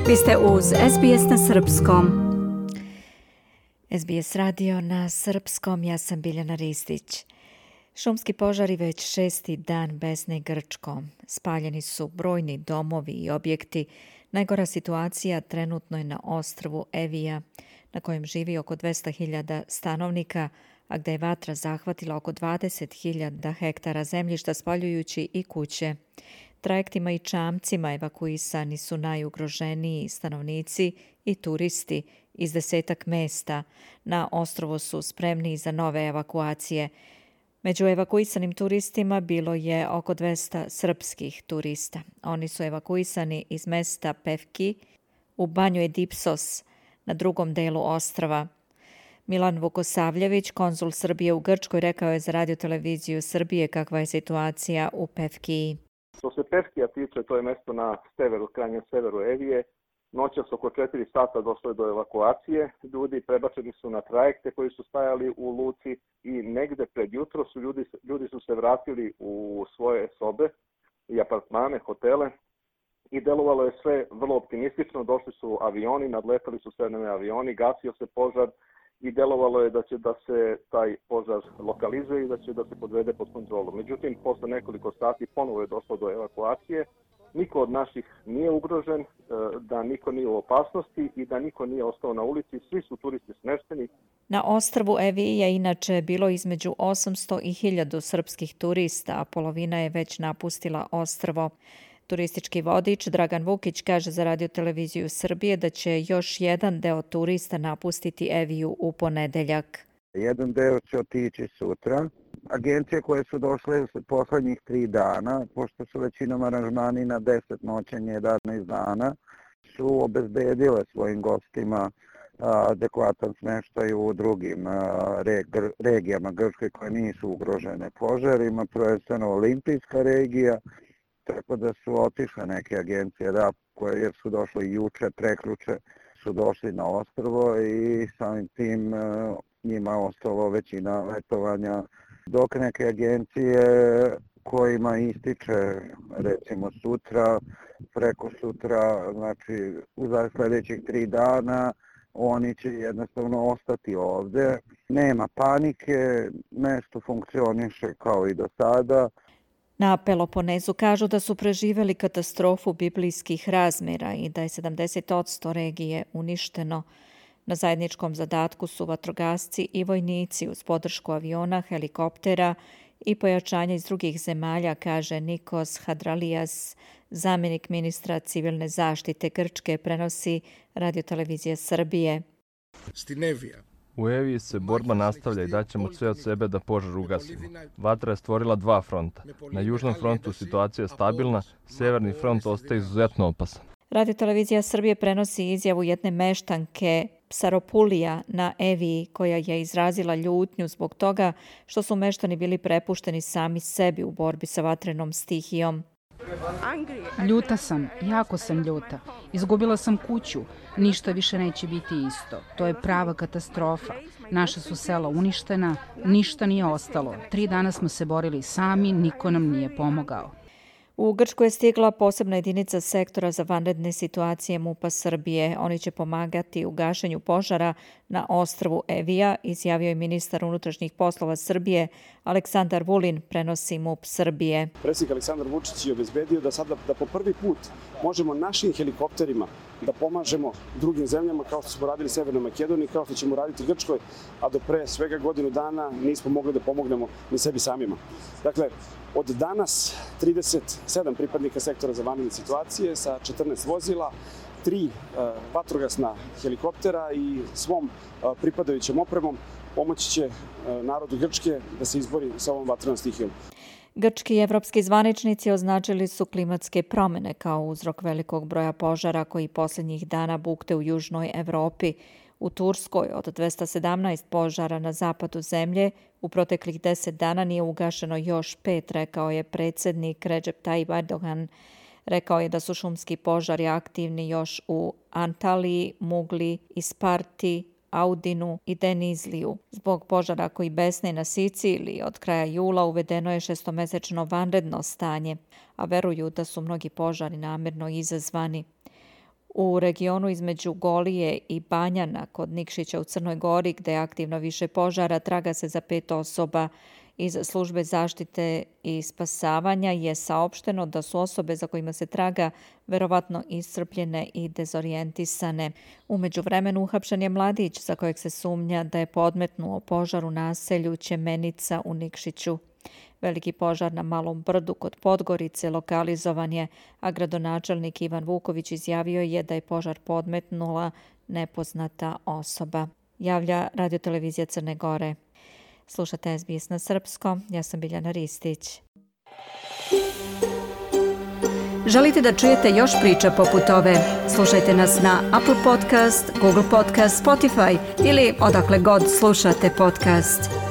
Vi ste uz SBS na Srpskom. SBS radio na Srpskom, ja sam Biljana Ristić. Šumski požari već 6. dan besne Grčkom. Spaljeni su brojni domovi i objekti. Najgora situacija trenutno je na ostrvu Evija, na kojem živi oko 200.000 stanovnika, a gdje je vatra zahvatila oko 20.000 hektara zemljišta, spaljujući i kuće. Trajektima i čamcima evakuisani su najugroženiji stanovnici i turisti iz 10 mesta. Na ostrvu su spremni za nove evakuacije. Među evakuisanim turistima bilo je oko 200 srpskih turista. Oni su evakuisani iz mesta Pevki u banju Edipsos na drugom delu ostrva. Milan Vukosavljević, konzul Srbije u Grčkoj, rekao je za radioteleviziju Srbije kakva je situacija u Pevkiji. Što se Pevkija tiče, to je mesto na severu, krajnjem severu Evije. Noćas oko 4 sata došlo je do evakuacije. Ljudi prebačeni su na trajekte koji su stajali u luci i negde pred jutro su ljudi su se vratili u svoje sobe i apartmane, hotele i delovalo je sve vrlo optimistično. Došli su avioni, nadletali su sve avioni, gasio se požar i delovalo je da će da se taj požar lokalizuje i da će da se podvede pod kontrolu. Međutim, posle nekoliko sati ponovo je došlo do evakuacije. Niko od naših nije ugrožen, da niko nije u opasnosti i da niko nije ostao na ulici. Svi su turisti smešteni. Na ostrvu Eviji je inače bilo između 800 i 1000 srpskih turista, a polovina je već napustila ostrvo. Turistički vodič Dragan Vukić kaže za radioteleviziju Srbije da će još jedan deo turista napustiti Eviju u ponedeljak. Jedan deo će otići sutra. Agencije koje su došle poslednjih 3 dana, pošto su većinom aranžmani na 10 noćenja 11 dana, su obezbedile svojim gostima adekvatan smeštaj u drugim regijama Grčke koje nisu ugrožene požarima, prvenstveno olimpijska regija, tako da su otišle neke agencije koje jer su došle juče, prekjuče su došli na ostrvo i samim tim njima ostalo većina letovanja, dok neke agencije kojima ističe recimo sutra, preko sutra, znači u sljedećih 3 dana, oni će jednostavno ostati ovdje. Nema panike, mesto funkcioniše kao i do sada. Na Peloponezu kažu da su preživjeli katastrofu biblijskih razmjera i da je 70% regije uništeno. Na zajedničkom zadatku su vatrogasci i vojnici uz podršku aviona, helikoptera i pojačanja iz drugih zemalja, kaže Nikos Hadralijas, zamjenik ministra civilne zaštite Grčke, prenosi radiotelevizija Srbije. U Eviji se borba nastavlja i daćemo sve od sebe da požar ugasimo. Vatra je stvorila 2 fronta. Na južnom frontu situacija je stabilna, severni front ostaje izuzetno opasan. Radiotelevizija Srbije prenosi izjavu jedne meštanke Psaropulija na Eviji, koja je izrazila ljutnju zbog toga što su meštani bili prepušteni sami sebi u borbi sa vatrenom stihijom. Ljuta sam, jako sam ljuta. Izgubila sam kuću, ništa više neće biti isto. To je prava katastrofa. Naša su sela uništena, ništa nije ostalo. 3 dana smo se borili sami, niko nam nije pomogao. U Grčku je stigla posebna jedinica sektora za vanredne situacije MUP-a Srbije. Oni će pomagati u gašenju požara na ostrvu Evija, izjavio je ministar unutrašnjih poslova Srbije Aleksandar Vulin, prenosi MUP Srbije. Predsjednik Aleksandar Vučić je obezbedio da sada po prvi put možemo našim helikopterima da pomažemo drugim zemljama kao što smo radili Severnoj Makedoniji, kao što ćemo raditi Grčkoj, a do pre svega godinu dana nismo mogli da pomognemo ni sebi samima. Dakle, od danas 37 pripadnika sektora za vanredne situacije sa 14 vozila, 3 vatrogasna helikoptera i svom pripadajućem opremom pomoći će narodu Grčke da se izbori sa ovom vatrenom stihijom. Grčki i evropski zvaničnici označili su klimatske promjene kao uzrok velikog broja požara koji posljednjih dana bukte u južnoj Evropi. U Turskoj od 217 požara na zapadu zemlje u proteklih 10 dana nije ugašeno još 5, rekao je predsjednik Recep Tayyip Erdogan. Rekao je da su šumski požari aktivni još u Antaliji, Mugli, Isparti, Audinu i Denizliju. Zbog požara koji besne na Siciliji od kraja jula uvedeno je 6-mesečno vanredno stanje, a veruju da su mnogi požari namjerno izazvani. U regionu između Golije i Banjana kod Nikšića u Crnoj Gori, gde je aktivno više požara, traga se za 5 osoba. Iz službe zaštite i spasavanja je saopšteno da su osobe za kojima se traga verovatno iscrpljene i dezorijentisane. U međuvremenu uhapšen je mladić za kojeg se sumnja da je podmetnuo požar u naselju Ćemenica u Nikšiću. Veliki požar na Malom Brdu kod Podgorice lokalizovan je, a gradonačelnik Ivan Vuković izjavio je da je požar podmetnula nepoznata osoba. Javlja Radiotelevizija Crne Gore. Slušate SBS na srpskom, ja sam Biljana Ristić. Želite da čujete još priča poput ove? Slušajte nas na Apple Podcast, Google Podcast, Spotify ili odakle god slušate podcast.